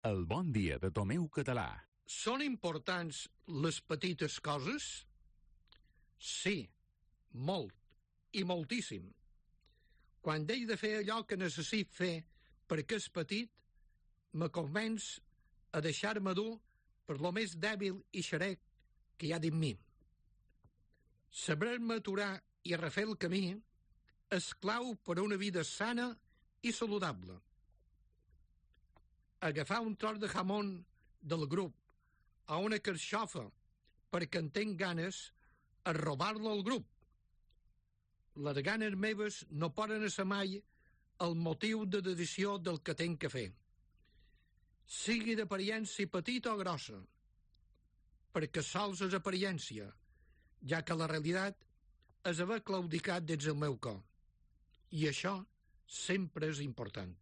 El bon dia de Tomeu Català. Són importants les petites coses? Sí, molt, i moltíssim. Quan deixo de fer allò que necessit fer perquè és petit, me convenç a deixar-me dur per lo més dèbil i xerec que hi ha dins mi. Saber-me aturar i refer el camí és clau per a una vida sana i saludable. Agafar un tros de jamón del grup o una carxofa perquè en tinc ganes és robar-lo al grup. Les ganes meves no poden ser mai el motiu de decisió del que tinc que fer. Sigui d'apariència petita o grossa, perquè sols és apariència, ja que la realitat és haver claudicat dins el meu cor. I això sempre és important.